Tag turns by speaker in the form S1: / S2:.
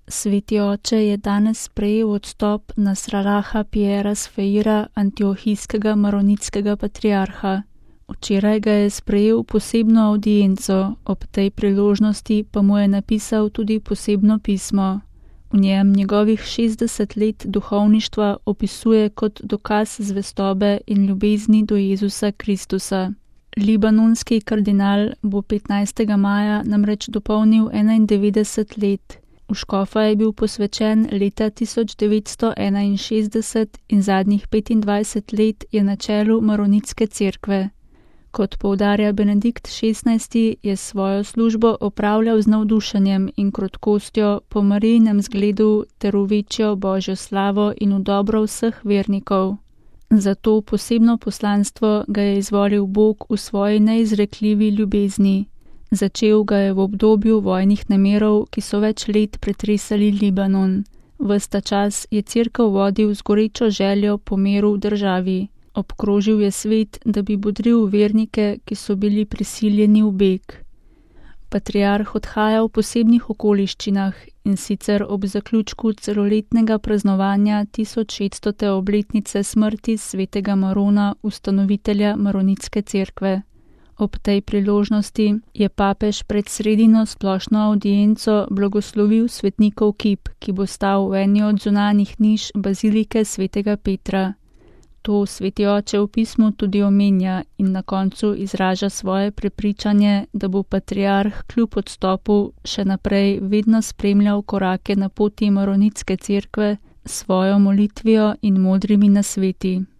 S1: Sveti oče je danes sprejel odstop Nasralaha Piera Sfeira, antiohijskega maronitskega patriarha. Včeraj ga je sprejel posebno avdienco, ob tej priložnosti pa mu je napisal tudi posebno pismo. V njem njegovih 60 let duhovništva opisuje kot dokaz zvestobe in ljubezni do Jezusa Kristusa. Libanonski kardinal bo 15. maja namreč dopolnil 91 let. V škofa je bil posvečen leta 1961 in zadnjih 25 let je na čelu Maronitske cerkve. Kot poudarja Benedikt XVI, je svojo službo opravljal z navdušenjem in krotkostjo po Marijinem zgledu ter v večjo Božjo slavo in v dobro vseh vernikov. Za to posebno poslanstvo ga je izvolil Bog v svoji neizrekljivi ljubezni. Začel ga je v obdobju vojnih nemirov, ki so več let pretresali Libanon. Ves ta čas je cerkev vodil z gorečo željo po miru v državi. Obkrožil je svet, da bi bodril vernike, ki so bili prisiljeni v beg. Patriarh odhaja v posebnih okoliščinah, in sicer ob zaključku celoletnega praznovanja 1600. obletnice smrti svetega Marona, ustanovitelja Maronitske cerkve. Ob tej priložnosti je papež pred sredino splošno avdienco blagoslovil svetnikov kip, ki bo stal v eni od zunanjih niš bazilike svetega Petra. To sveti oče v pismu tudi omenja in na koncu izraža svoje prepričanje, da bo patriarh kljub odstopu še naprej vedno spremljal korake na poti Maronitske cerkve s svojo molitvijo in modrimi nasveti.